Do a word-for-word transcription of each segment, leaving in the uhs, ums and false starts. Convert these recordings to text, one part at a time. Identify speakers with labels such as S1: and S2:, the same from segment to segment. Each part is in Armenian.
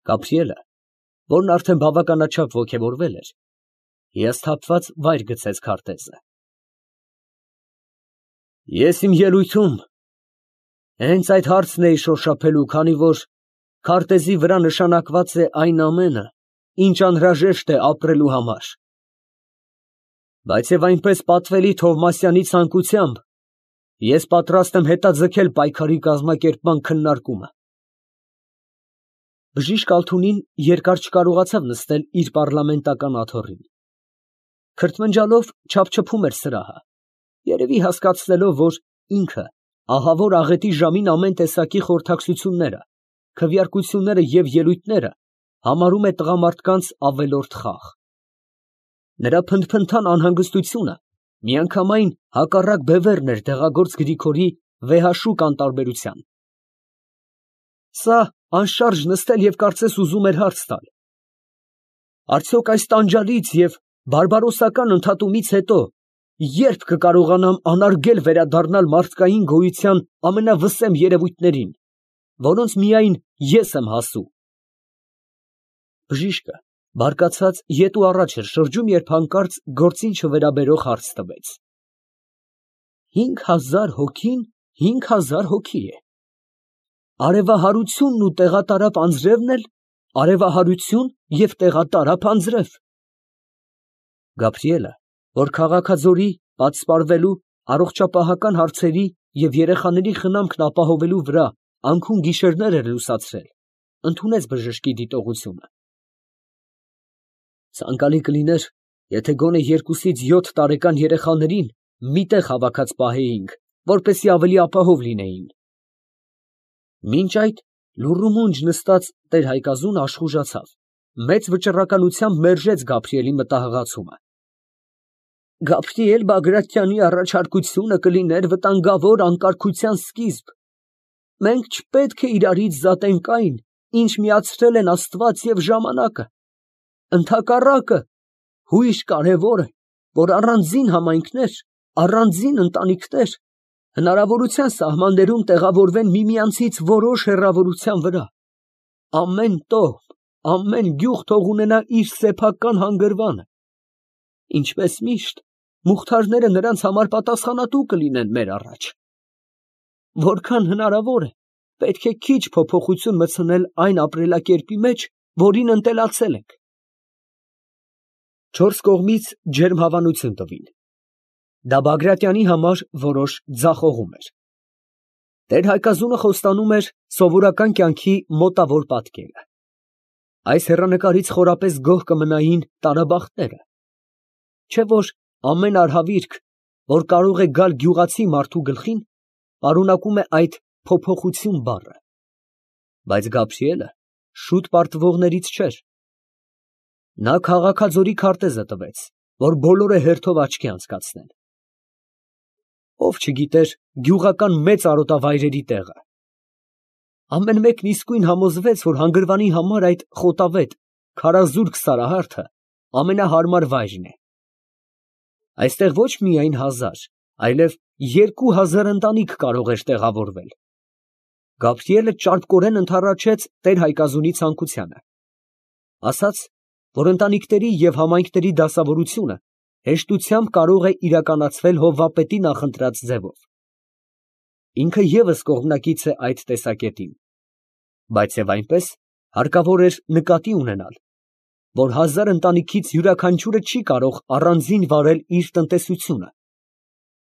S1: Գաբրիելը, որն արդեն բավականաչափ ոգևորվել էր, հիասթափված վայր գցեց քարտեզը։ Ես իմ ելույթում հենց այդ հարցն էի շոշափելու, քանի որ քարտեզի վրա նշանակված է այն ամենը, ինչ անհրաժեշտ է ապրելու համար։ Բայց և այնպես պատվելի Թովմասյանի ցանկությամբ ես պատրաստ եմ հետաձգել պայքարի կազմակերպման քննարկումը։ Բժիշկ Ալթունին երկար չկարողացավ նստել իր պառլամենտական աթոռին. քրթմնջալով չափչփում էր սրահը, երևի հասկացնելով, որ ինքը ահավոր աղետի ժամին ամեն տեսակի խորհրդակցությունները, քվեարկությունները և ելույթները համարում է տղամարդկանց ավելորդ խաղ։ Նրա փնթփնթան անհանգստությունը միանգամայն հակառակ բևեռն էր դեղագործ Գրիգորի վեհաշուկ անտարբերության։ Սա անշարժ նստել և կարծես ուզում էր հարց տալ. արդյոք այս տանջալից և բարբարոսական ընդհատումից հետո ե՞րբ կկարողանամ անարգել վերադառնալ մարդկային գոյության ամենավսեմ երևույթներին, որոնց միայն ես եմ հասու։ Բժիշկը բարկացած ետ ու առաջ էր շրջում, երբ հանկարծ գործին չվերաբերող հարց տվեց. Հինգ հազար հոգին հինգ հազար հոգի է. արևահարությունն ու տեղատարափ անձրևն էլ արևահարություն և տեղատարափ անձրև։ Գաբրիելը, որ քաղաքաձորի, պատսպարվելու, առողջապահական հարցերի և երեխաների խնամքն ապահովելու վրա անքուն գիշերներ էր լուսացրել, ընդունեց բժշկի դիտողությունը։ Ցանկալի կլիներ, եթե գոնե երկուսից յոթ տարեկան երեխաներին մի տեղ հավաքած պահեինք, որպեսզի ավելի ապահով լինեին։ Մինչ այդ լուռումունջ նստած տեր֊Հայկազունը աշխուժացավ, մեծ վճռականությամբ մերժեց Գաբրիելի մտահղացումը։ Գաբրիել Բագրատյանի առաջարկությունը կլիներ վտանգավոր անկարգության սկիզբ։ Մենք չպետք է իրարից զատենք այն, ինչ միացրել են աստված և ժամանակը։ Ընդհակառակը, հույժ կարևոր է, որ առանձին համայնքներ, առանձին ընտանիքներ հնարավորության սահմաններում տեղավորվեն միմյանցից որոշ հեռավորության վրա։ Ամեն տոհմ, ամեն գյուղ թող ունենա իր սեփական հանգրվանը։ Ինչպես միշտ, մուղթարները նրանց համար պատասխանատու կլինեն մեր առաջ։ Որքան հնարավոր է, պետք է քիչ փոփոխություն մտցնել այն ապրելակերպի մեջ, որին ընտելացել ենք։ Չորս կողմից ջերմ հավանություն տվին։ Դա Բագրատյանի համար որոշ ձախողում էր։ Տեր֊Հայկազունը խոստանում էր սովորական կյանքի մոտավոր պատկերը։ Այս հեռանկարից խորապես գոհ կմնային տարաբախտները։ Չէ՞ որ ամեն արհավիրք, որ կարող է գալ գյուղացի մարդու գլխին, պարունակում է այդ փոփոխություն բառը։ Բայց Գաբրիելը շուտ պարտվողներից չէր։ Նա քաղաքաձորի քարտեզը տվեց, որ բոլորը հերթով աչքի անցկացնեն։ Ով չգիտեր գյուղական մեծ արոտավայրերի տեղը։ Ամեն մեկն իսկույն համոզվեց, որ հանգրվանի համար այդ խոտավետ, քարազուրկ սարահարթը ամենահարմար վայրն է։ Այստեղ ոչ միայն հազար, այլև երկու հազար ընտանիք կարող էր տեղավորվել։ Գաբրիելը ճարպկորեն ընդառաջեց տեր֊Հայկազունի ցանկությանը։ Ասաց, որ ընտանիքների և համայնքների դասավորությունը հեշտությամբ կարող է իրականացվել հովվապետի նախընտրած ձևով։ Ինքը ևս կողմնակից է այդ տեսակետին, բայց և այնպես հարկավոր էր նկատի ունենալ, որ հազար ընտանիքից յուրաքանչյուրը չի կարող առանձին վարել իր տնտեսությունը,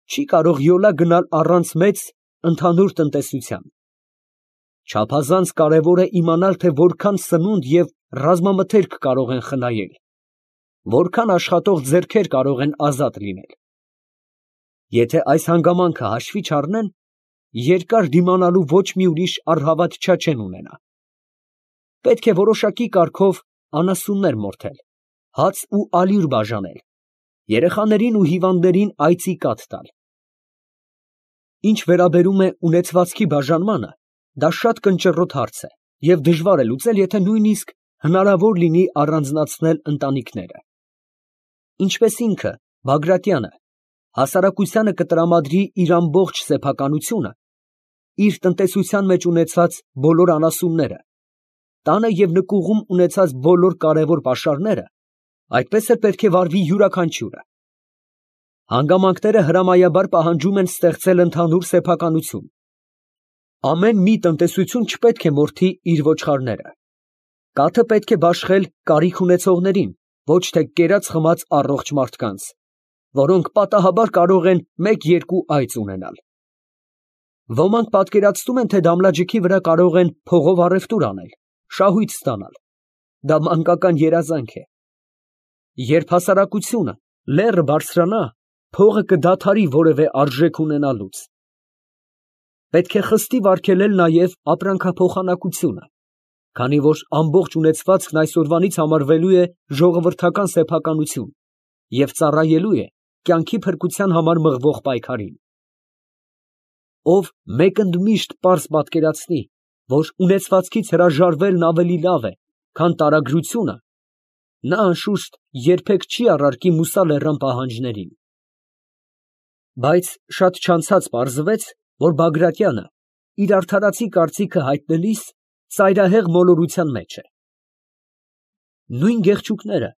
S1: չի կարող յոլա գնալ առանց մեծ, ընդհանուր տնտեսության։ Չափազանց կարևոր է իմանալ, թե որքան սնունդ և ռազմամթերք կարող են խնայել, որքան աշխատող ձեռքեր կարող են ազատ լինել։ Եթե այս հանգամանքը հաշվի չառնեն, երկար դիմանալու ոչ մի ուրիշ առհավատ չեն ունենա։ Պետք է որոշակի կարգով անասուններ մորթել, հաց ու ալյուր բաժանել, երեխաներին ու հիվանդներին այծի կաթ տալ։ Ինչ վերաբերում է ունեցվածքի բաժանմանը, դա շատ կնճռոտ հարց է և դժվար է լուծել, եթե նույնիսկ հնարավոր լինի առանձնացնել ընտանիքները։ Ինչպես ինքը, Բագրատյանը, հասարակությանը կտրամադրի իր ամբողջ սեփականությունը, իր տնտեսության մեջ ունեցած բոլոր անասունները, տանը և նկուղում ունեցած բոլոր կարևոր պաշարները, այդպես էլ պետք է վարվի յուրաքանչյուրը։ Հանգամանքները հրամայաբար պահանջում են ստեղծել ընդհանուր սեփականություն։ Ամեն մի տնտեսություն չպետք է մորթի իր ոչխարները։ Կաթը պետք է բաշխել կարիք ունեցողներին, ոչ թե կերած խմած առողջ մարդկանց, որոնք պատահաբար կարող են մեկ֊երկու այծ ունենալ։ Ոմանք պատկերացնում են, թե դամլաջիքի վրա կարող են փողով առևտուր անել, շահույթ ստանալ։ Դա մանկական երազանք է։ Երբ հասարակությունը լեռը բարձրանա, փողը կդադարի որևէ արժեք ունենալուց։ Պետք է խստիվ արգելել նաև ապրանքափոխանակությունը, քանի որ ամբողջ ունեցվածքն այսօրվանից համարվելու է ժողովրդական սեփականություն և ծառայելու է կյանքի փրկության համար մղվող պայքարին։ Ով մեկընդմիշտ պարզ պատկերացնի, որ ունեցվածքից հրաժարվելն ավելի լավ է, քան տարագրությունը, նա անշուշտ երբեք չի առարկի Մուսա պահանջներին։ Բայց շատ չանցած պարզվեց, որ Բագրատյանը իր արդարացի կարծիքը հայտնելիս ծայրահեղ մոլորության մեջ է։ Նույն գեղչուկները,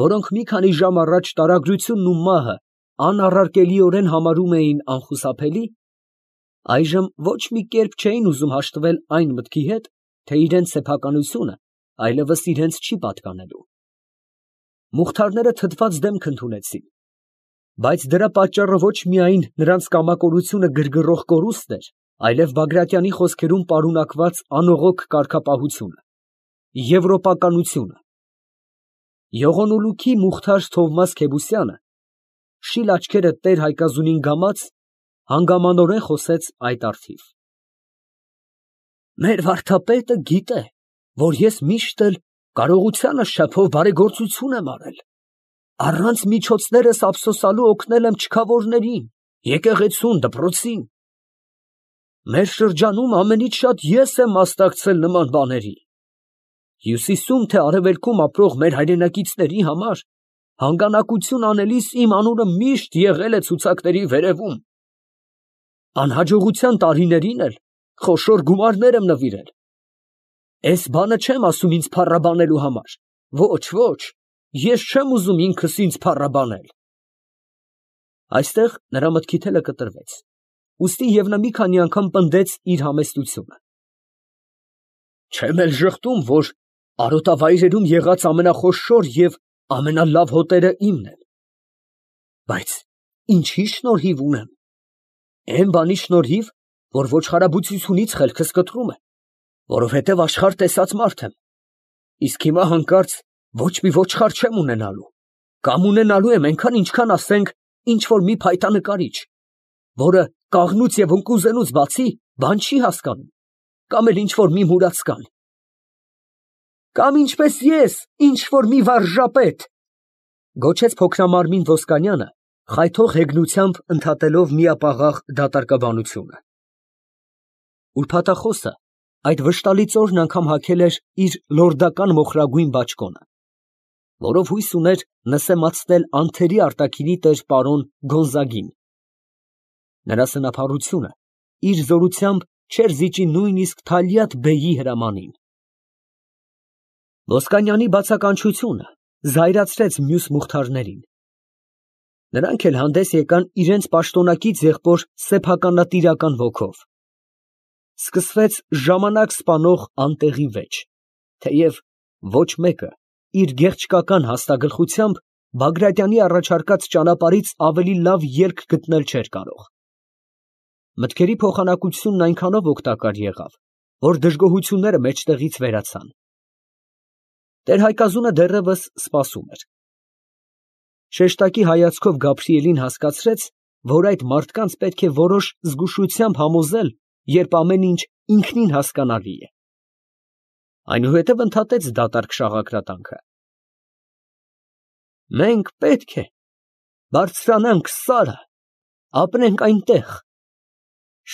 S1: որոնք մի քանի ժամ առաջ տարագրությունն ու մահը անառարկելիորեն համարում էին անխուսափելի, այժմ ոչ մի կերպ չէին ուզում հաշտվել այն մտքի հետ, թե իրենց սեփականությունը այլևս իրենց չի պատկանելու։ Մուխթարները թթված դեմք ընդունեցին, բայց դրա պատճառը ոչ միայն նրանց կամակորությունը գրգռող կորուստն էր, այլև Բագրատյանի խոսքերում պարունակված անողոք կարգապահությունը, եվրոպականությունը։ Եղոնուլուքի Մուխթար Թովմաս Քեբուսյանը, շիլ աչքերը տեր Հայկազունին գամած, հանգամանորեն խոսեց այդ առթիվ. Մեր վարդապետը գիտե, որ ես միշտ էլ կարողությանս շփով բարեգործություն եմ արել, առանց միջոցներս ափսոսալու օգնել եմ չքավորներին, եկեղեցուն, դպրոցին։ Մեր շրջանում ամենից շատ ես եմ մասնակցել նման բաների։ Հյուսիսում թե արևելքում ապրող մեր հայրենակիցների համար հանգանակություն անելիս իմ անունը միշտ եղել է ցուցակների վերևում։ Անհաջողության տարիներին էլ խոշոր գումարներ եմ նվիրել։ Էս բանը չեմ ասում ինձ փառաբանելու համար, ոչ, ոչ, ես չեմ ուզում ինքս ինձ փառաբանել։ Այստեղ նրա մտքի թելը կտրվեց, ուստի և նա մի քանի անգամ պնդեց իր համեստությունը։ Չեմ էլ ժխտում, որ արոտավայրերում եղած ամենախոշոր և ամենալավ հոտերը իմն են։ Բայց ինչի շնորհիվ ունեմ։ Էն բանի շնորհիվ, որ ոչխարաբուծությունից խելքս կտրում է, որովհետև աշխարհ տեսած մարդ եմ, իսկ հիմա հանկարծ ոչ մի ոչխար չեմ ունենալու, կամ ունենալու եմ այնքան, ինչքան ասենք ինչ֊որ մի փայտա նկարիչ, որը կաղնուց և ընկուզենուց բացի բան չի հասկանում, կամ էլ ինչ֊որ մի մուրացկան։ Կամ ինչպես ես, ինչ֊որ մի վարժապետ, գոչեց փոքրամարմին Ոսկանյանը, խայթող հեգնությամբ ընդհատելով միապաղաղ դատարկաբանությունը։ Ուրբաթախոսը այդ վշտալի ծորն անգամ հագել էր իր լորդական մոխրագույն բաճկոնը, որով հույս ուներ նսեմացնել անթերի արտաքինի տեր պարոն Գոնզագին։ Նրա սնափառությունը իր զորությամբ չէր զիջի նույնիսկ Թալյաթ֊բեյի հրամանին։ Ոսկանյանի բացականչությունը զայրացրեց մյուս մուխթարներին։ Նրանք էլ հանդես եկան իրենց պաշտոնակից եղբոր սեփականատիրական ոգով։ Սկսվեց ժամանակ սպանող անտեղի վեճ, թեև ոչ մեկը իր գեղչկական հաստագլխությամբ Բագրատյանի առաջարկած ճանապարհից ավելի լավ ելք գտնել չէր կարող։ Մտքերի փոխանակությունն այնքանով օգտակար եղավ, որ դժգոհությունները մեջտեղից վերացան։ Տեր֊Հայկազունը դեռևս սպասում էր։ Շեշտակի հայացքով Գաբրիելին հասկացրեց, որ այդ մարդկանց պետք է որոշ զգուշությամբ համոզել, երբ ամեն ինչ ինքնին հասկանալի է։ Այնուհետև ընդհատեց դատարկ շաղակրատանքը. Մենք պետք է բարձրանանք Սարը, ապրենք այնտեղ,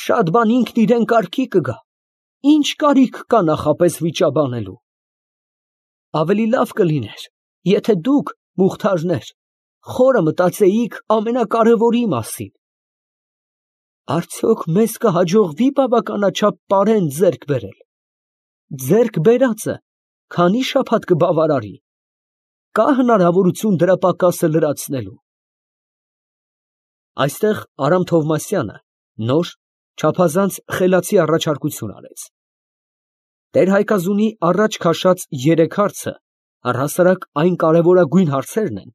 S1: շատ բան ինքն իրան կարգի կգա, ինչ կարիք կա նախապես վիճաբանելու։ Ավելի լավ կլիներ, եթե դուք, մուխթարներ, խորը մտածեիք ամենակարևորի մասին. արդյոք մեզ կհաջողվի բավականաչափ պարեն ձեռք բերել։ Ձեռք բերածը քանի շաբաթ կբավարարի։ Կա հնարավորություն դրա պակասը լրացնելու։ Այստեղ Արամ Թովմասյանը նոր, չափազանց խելացի առաջարկություն արեց։ Տեր Հայկազունի առաջ քաշած երեք հարցը առհասարակ այն կարևորագույն հարցերն են,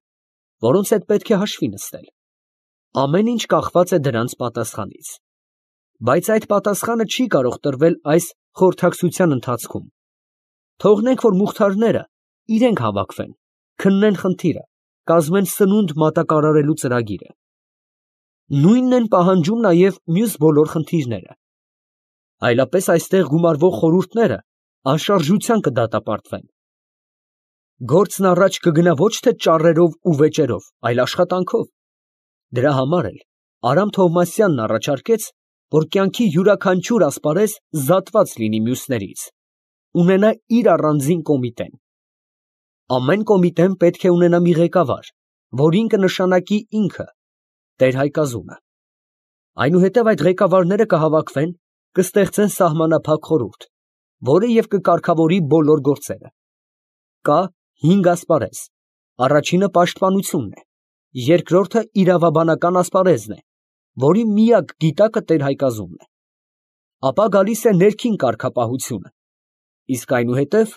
S1: որոնց հետ պետք է հաշվի նստել։ Ամեն ինչ կախված է դրանց պատասխանից։ Բայց այդ պատասխանը չի կարող տրվել այս խորհրդակցության ընթացքում։ Թողնենք, որ մուխթարները իրենք հավաքվեն, քննեն խնդիրը, կազմեն սնունդ մատակարարելու ծրագիրը։ Նույնն են պահանջում նաև մյուս բոլոր խնդիրները։ Այլապես այստեղ գումարվող խորհուրդները անշարժության կդատապարտվեն։ Գործն առաջ կգնա ոչ թե ճառերով ու վեճերով, այլ աշխատանքով։ Դրա համար էլ Արամ Թովմասյանն առաջարկեց, որ կյանքի յուրաքանչյուր ասպարեզ զատված լինի մյուսներից, ունենա իր առանձին կոմիտեն։ Ամեն կոմիտեն պետք է ունենա մի ղեկավար, որին կնշանակի ինքը, Տեր Հայկազունը։ Այնուհետև այդ ղեկավարները կհավաքվեն, կստեղծեն սահմանափակ խորհուրդ, որը և կկարգավորի բոլոր գործերը։ Կա հինգ ասպարեզ. առաջինը պաշտպանությունն է, երկրորդը իրավաբանական ասպարեզն է, որի միակ գիտակը Տեր Հայկազունն է։ Ապա գալիս է ներքին կարգապահությունը, իսկ այնուհետև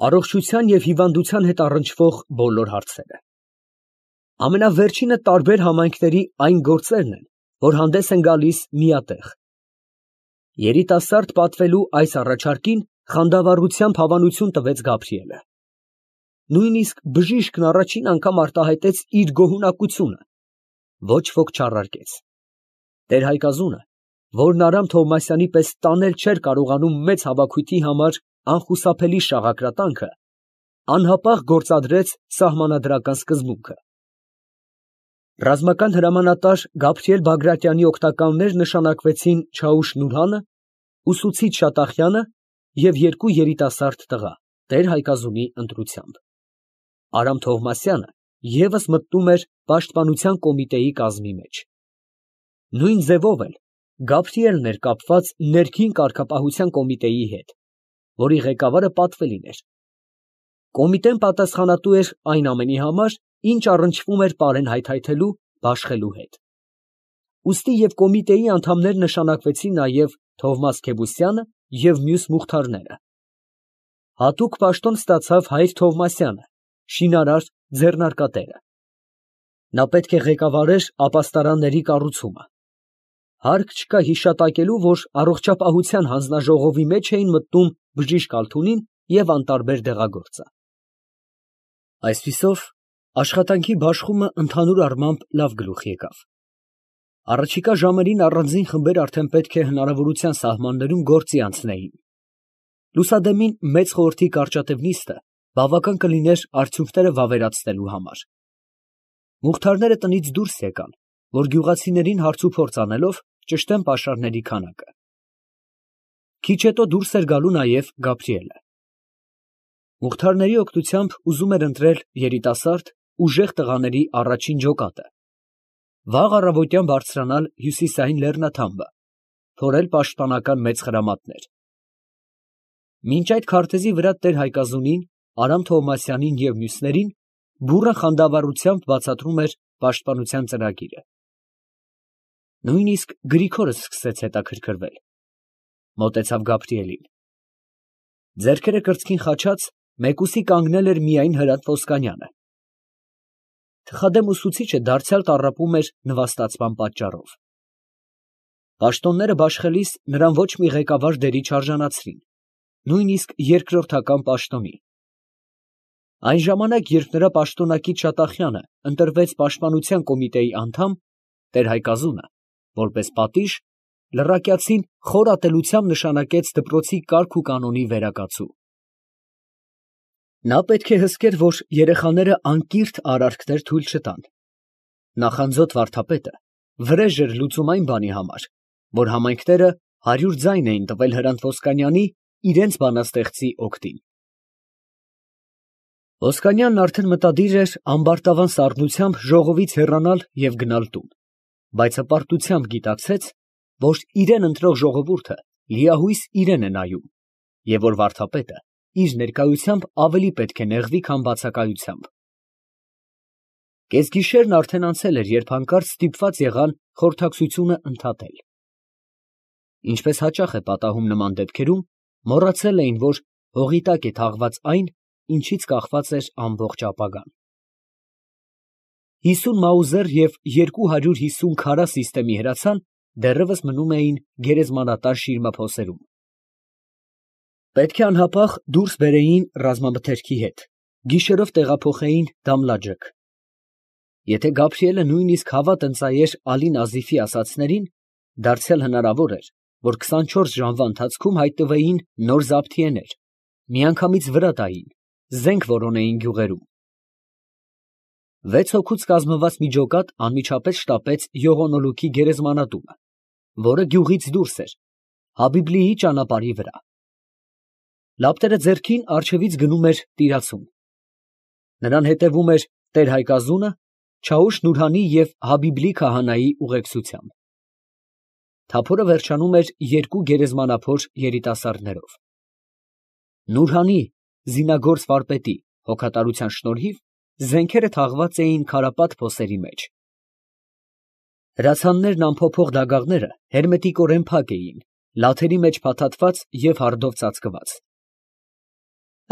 S1: առողջության և հիվանդության հետ առնչվող բոլոր հարցերը։ Ամենավերջինը տարբեր համայնքների այն գործերն են, որ հանդես են գալիս միատեղ։ Երիտասարդ պատվելու այս առաջարկին խանդավառությամբ հավանություն տվեց Գաբրիելը։ Նույնիսկ բժիշկն առաջին անգամ արտահայտեց իր գոհունակությունը, ոչ ոք չառարկեց։ Տեր Հայկազունը, որն Արամ Թովմասյանի պես տանել չէր կարողանում մեծ հավաքույթի համար անխուսափելի շաղակրատանքը, անհապաղ գործադրեց սահմանադրական սկզբունքը։ Ռազմական հրամանատար Գաբրիել Բագրատյանի օգնականներ նշանակվեցին Չաուշ Նուրհանը, ուսուցիչ Շատախյանը և երկու երիտասարդ տղա, Տեր Հայկազունի ընտրությամբ։ Արամ Թովմասյանը ևս մտնում էր պաշտպանության կոմիտեի կազմի մեջ։ Նույն ձևով էլ Գաբրիելն էր կապված ներքին կարգապահության կոմիտեի հետ, որի ղեկավարը պատվելին էր։ Կոմիտեն պատասխանատու էր այն ամենի համար, ինչ առնչվում էր պարեն հայթայթելու, բաշխելու հետ։ Ուստի և կոմիտեի անդամներ նշանակվեցին նաև Թովմաս Քեբուսյանը և մյուս մուխթարները։ Հատուկ պաշտոն ստացավ Հայր Թովմասյանը, շինարար ձեռնարկատերը։ Նա պետք է ղեկավարեր ապաստարանների կառուցումը։ Հարկ չկա հիշատակելու, որ առողջապահության հանձնաժողովի մեջ էին մտնում բժիշկ Ալթունին և անտարբեր դեղագործը։ Այսպիսով, աշխատանքի բաշխումը ընդհանուր առմամբ լավ գլուխ եկավ։ Առաջիկա ժամերին առանձին խմբեր արդեն պետք է հնարավորության սահմաններում գործի անցնեին։ Լուսադեմին մեծ խորհրդի կարճատև նիստը բավական կլիներ արդյունքները վավերացնելու համար։ Մուխթարները տնից դուրս եկան, որ գյուղացիներին հարցուփորձ անելով ճշտեն պաշարների քանակը։ Քիչ հետո դուրս էր գալու նաև Գաբրիելը։ Մուխթարների օգնությամբ ուզում էր ընտրել երիտասարդ, ուժեղ տղաների առաջին ջոկատը, վաղ առավոտյան բարձրանալ հյուսիսային լեռնաթամբը, թորել պաշտպանական մեծ խրամատներ։ Մինչ այդ քարտեզի վրա Տեր Հայկազունին, Արամ Թովմասյանին և մյուսներին բուռն խանդավառությամբ բացատրում էր պաշտպանության ծրագիրը։ Նույնիսկ Գրիգորը սկսեց հետաքրքրվել։ Մոտեցավ Գաբրիելին։ Ձեռքերը կրծքին խաչած, մեկուսի կանգնել էր միայն Հրանտ Ոսկանյանը։ Թխադեմ ուսուցիչը դարձյալ տառապում էր նվաստացման պատճառով։ Պաշտոնները բաշխելիս նրան ոչ մի ղեկավար դերի չարժանացրին, նույնիսկ երկրորդական պաշտոնի։ Այն ժամանակ, երբ նրա պաշտոնակից Շատախյանը ընտրվեց պաշտպանության կոմիտեի անդամ, Տեր Հայկազունը, որպես պատիժ, լռակյացին խոր ատելությամբ նշանակեց դպրոցի կարգ ու կանոնի վերակացու։ Նա պետք է հսկեր, որ երեխաները անկիրթ արարքներ թույլ չտան։ Նախանձոտ վարդապետը վրեժ էր լուծում այն բանի համար, որ համայնքները հարյուր ձայն էին տվել Հրանտ Ոսկանյանի իրենց բանաստեղծի օգտին։ Ոսկանյանն արդեն մտադիր էր ամբարտավան սառնությամբ ժողովից հեռանալ և գնալ տուն, բայց հպարտությամբ գիտակցեց, որ իրեն ընտրող ժողովուրդը լիահույս իրան է նայում, և որ վարդապետը իր ներկայությամբ ավելի պետք է նեղվի, քան բացակայությամբ։ Կեսգիշերն արդեն անցել էր, երբ հանկարծ ստիպված եղան խորհրդակցությունը ընդհատել։ Ինչպես հաճախ է պատահում նման դեպքերում, մոռացել էին, որ հողի տակ է թաղված այն, ինչից կախված էր ամբողջ ապագան։ Հիսուն մաուզեր և երկու հարյուր հիսուն քարա սիստեմի հրացան դեռևս մնում էին գերեզմանատար շիրմափոսերում։ Պետք է անհապաղ դուրս բերեին ռազմամթերքի հետ, գիշերով տեղափոխեին Դամլաջեք։ Եթե Գաբրիելը նույնիսկ հավատ ընծայեր Ալի Նազիֆի ասածներին, դարձյալ հնարավոր էր, որ քսանչորս ժամվա ընթացքում հայտնվեին նոր զաբթիեներ, միանգամից վրա տային, զենք որոնեին գյուղերում։ Վեց հոգուց կազմված մի ջոկատ անմիջապես շտապեց Յողոնոլուքի գերեզմանատունը, որը գյուղից դուրս էր, Հաբիբլիի ճանապարհի վրա։ Լապտերը ձեռքին առջևից գնում էր տիրացում։ Նրան հետևում էր տեր֊Հայկազունը, Չաուշ Նուրհանի և Հաբիբլի քահանայի ուղեկցությամբ։ Թափորը վերջանում էր երկու գերեզմանափոր երիտասարդներով։ Նուրհանի զինագործ վարպետի հոգատարության շնորհիվ զենքերը թաղված էին քարապատ փոսերի մեջ։ Հրացաններն անփոփոխ դագաղները հերմետիկորեն փակ էին, լաթերի մեջ փաթաթված և հարդով ծածկված։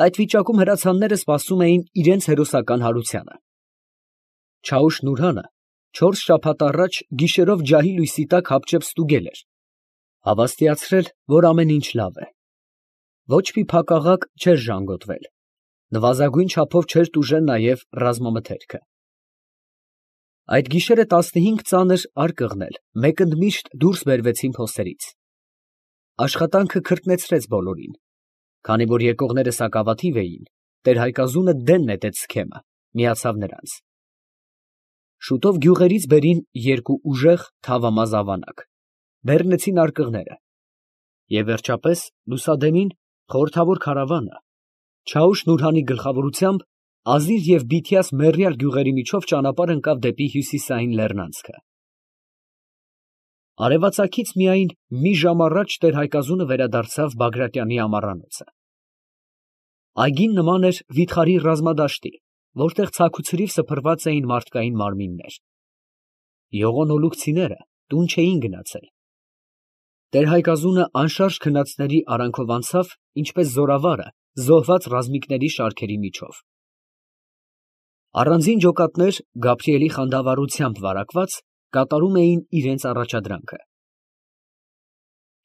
S1: Այդ վիճակում հրացանները սպասում էին իրենց հերոսական հարությանը։ Չաուշ Նուրհանը չորս շաբաթ առաջ գիշերով ջահի լույսի տակ հապճեպ ստուգել էր, հավաստիացրել, որ ամեն ինչ լավ է։ Ոչ մի փակաղակ չէր ժանգոտվել, նվազագույն չափով չէր տուժել նաև ռազմամթերքը։ Այդ գիշերը տասնհինգ ծանր արկղներ մեկընդմիշտ դուրս բերվեցին փոսերից։ Աշխատանքը քրտնեցրեց բոլորին։ Քանի որ եկողները սակավաթիվ էին, տեր֊Հայկազունը դեն նետեց սքեմը, միացավ նրանց։ Շուտով գյուղերից բերին երկու ուժեղ թավամազ ավանակ, բեռնեցին արկղները, և վերջապես լուսադեմին խորհրդավոր քարավանը Չաուշ Նուրհանի գլխավորությամբ Ազիր և Բիթիաս մեռյալ գյուղերի միջով ճանապարհ ընկավ դեպի հյուսիսային լեռնանցքը։ Արևածագից միայն մի ժամ առաջ տեր֊Հայկազունը վերադարձավ Բագրատյանի ամառանոցը։ Այգին նման էր վիթխարի ռազմադաշտի, որտեղ ցաքուցրիվ սփռված էին մարդկային մարմիններ։ Յողոնոլուքցիները տուն չէին գնացել։ Տեր֊Հայկազունը անշարժ քնածների արանքով անցավ, ինչպես զորավարը զոհված ռազմիկների շարքերի միջով։ Առանձին ջոկատներ, Գաբրիելի խանդավառությամբ վարակված, կատարում էին իրենց առաջադրանքը։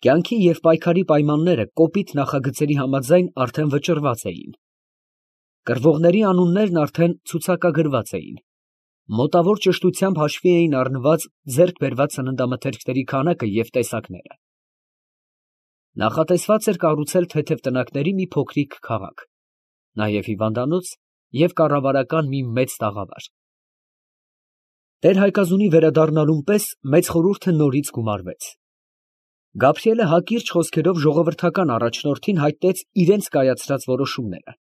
S1: Կյանքի և պայքարի պայմանները կոպիտ նախագծերի համաձայն արդեն վճռված էին։ Կռվողների անուններն արդեն ցուցակագրված էին։ Մոտավոր ճշտությամբ հաշվի էին առնված ձեռք բերված սննդամթերքների քանակը և տեսակները։ Նախատեսված էր կառուցել թեթև տնակների մի փոքրիկ քաղաք, նաև հիվանդանոց և կառավարական մի մեծ տաղավար։ Տեր֊Հայկազունի վերադառնալուն պես մեծ խորհուրդը նորից գումարվեց։ Գաբրիելը հակիրճ խոսքերով ժողովրդական առաջնորդին հայտնեց իրենց կայացրած որոշումները։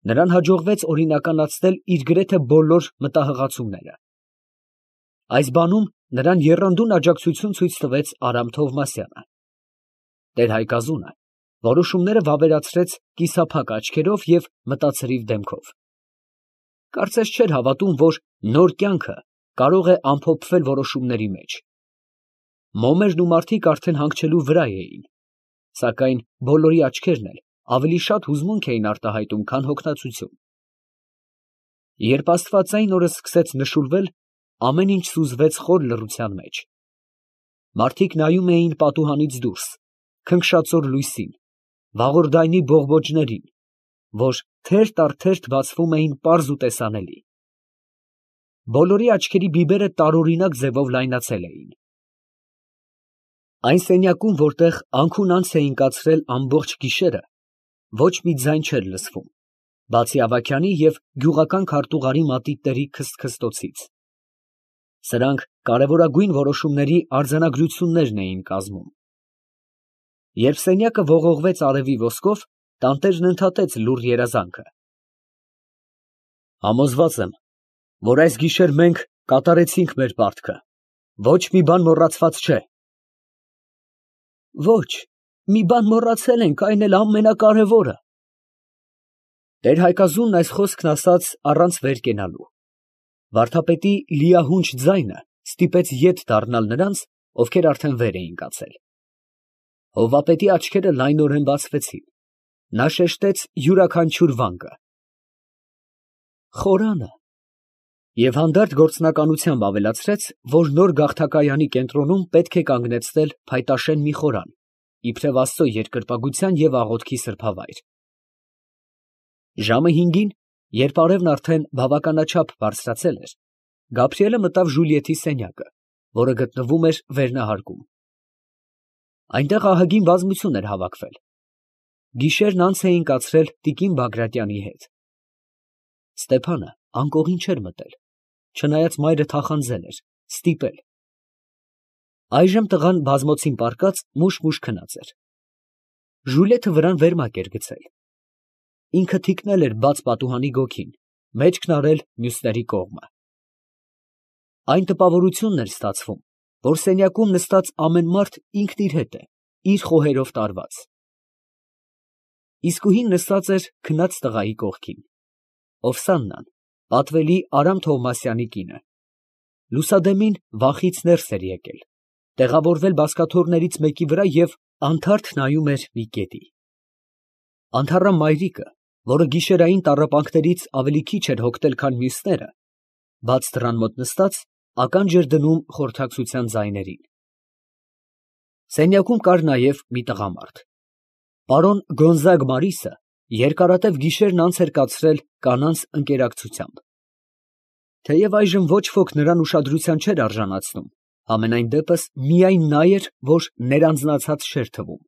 S1: Նրան հաջողվեց օրինականացնել իր գրեթե բոլոր մտահղացումները։ Այս բանում նրան եռանդուն աջակցություն ցույց տվեց Արամ Թովմասյանը։ Տեր֊Հայկազունը որոշումները վավերացրեց կիսափակ աչքերով և մտածրիվ դեմքով։ Կարծես չէր հավատում, որ նոր կյանքը կարող է ամփոփվել որոշումների մեջ։ Մոմերն ու մարդիկ արդեն հանգչելու վրա էին, սակայն բոլորի աչքերն էլ ավելի շատ հուզմունք էին արտահայտում, քան հոգնածություն։ Երբ աստվածային օրը սկսեց նշուրվել, ամեն ինչ սուզվեց խոր լռության մեջ։ Մարդիկ նայում էին պատուհանից դուրս, քնքշածոր լույսին, վաղորդայնի բողբոջներին, որ թերթ առ թերթ բացվում էին պարզ ու տեսանելի։ Բոլորի աչքերի բիբերը տարօրինակ ձևով լայնացել էին։ Այն սենյակում, որտեղ անքուն անց էին կացրել ամբողջ գիշերը, ոչ մի ձայն չէր լսվում, բացի Ավագյանի և գյուղական քարտուղարի մատիտների քսթքստոցից։ Սրանք կարևորագույն որոշումների արձանագրություններն էին կազմում։ Երբ սենյակը ողողվեց արևի ոսկով, տանտերն ընդհատեց լուռ երազանքը. «Համոզված եմ, որ այս գիշեր մենք կատարեցինք մեր պարտքը, ոչ մի բան մոռացված չէ»։ «Ոչ, մի բան մոռացել ենք, այն էլ ամենակարևորը, Տեր֊Հայկազունն այս խոսքն ասաց առանց վեր կենալու. վարդապետի լիահունչ ձայնը ստիպեց ետ դառնալ նրանց, ովքեր արդեն վեր էին կացել։ Հովվապետի աչքերը լայնորեն բացվեցին, նա շեշտեց յուրաքանչյուր վանկը։ Խորանը, և հանդարտ գործնականությամբ ավելացրեց, որ նոր գաղթակայանի կենտրոնում պետք է կանգնեցնել փայտաշեն մի խորան, իբրև Աստծո երկրպագության և աղոթքի սրբավայր։ Ժամը հինգին, երբ արևն արդեն բավականաչափ բարձրացել էր, Գաբրիելը մտավ Ժուլիետի սենյակը, որը գտնվում էր վերնահարկում։ Այնտեղ ահագին բազմություն էր հավաքվել։ Գիշերն անց էին կացրել տիկին Բագրատյանի հետ։ Ստեփանը անկողին չէր մտել, չնայած մայրը թախանձել էր, ստիպել։ Այժմ տղան բազմոցին պառկած մուշ֊մուշ քնած էր։ Ժուլիետը վրան վերմակ էր գցել։ Ինքը թիկնել էր բաց պատուհանի գոգին, մեջքն արել մյուսների կողմը։ Այն տպավորությունն էր ստացվում, որ սենյակում նստած ամեն մարդ ինքն իր հետ է, իր խոհերով տարված։ Իսկույն նստած էր քնած տղայի կողքին։ Օֆսաննան, պատվելի Արամ Թովմասյանի կինը, լուսադեմին վախից ներս էր եկել, տեղավորվել բազկաթոռներից մեկի վրա և անթարթ նայում էր մի կետի։ Անթառամ մայրիկը, որը գիշերային տառապանքներից ավելի քիչ էր հոգնել, քան մյուսները, բաց դռան մոտ նստած, ականջ էր դնում խորհրդակցության ձայներին։ Սենյակում կար նաև մի տղամարդ։ Պարոն Գոնզագ Մարիսը երկարատև գիշերն անց էր կացրել կանանց ընկերակցությամբ։ Թեև այժմ ոչ ոք նրան ուշադրության չէր արժանացնում, համենայն դեպս միայն նա էր, որ ներանձնացած չէր թվում։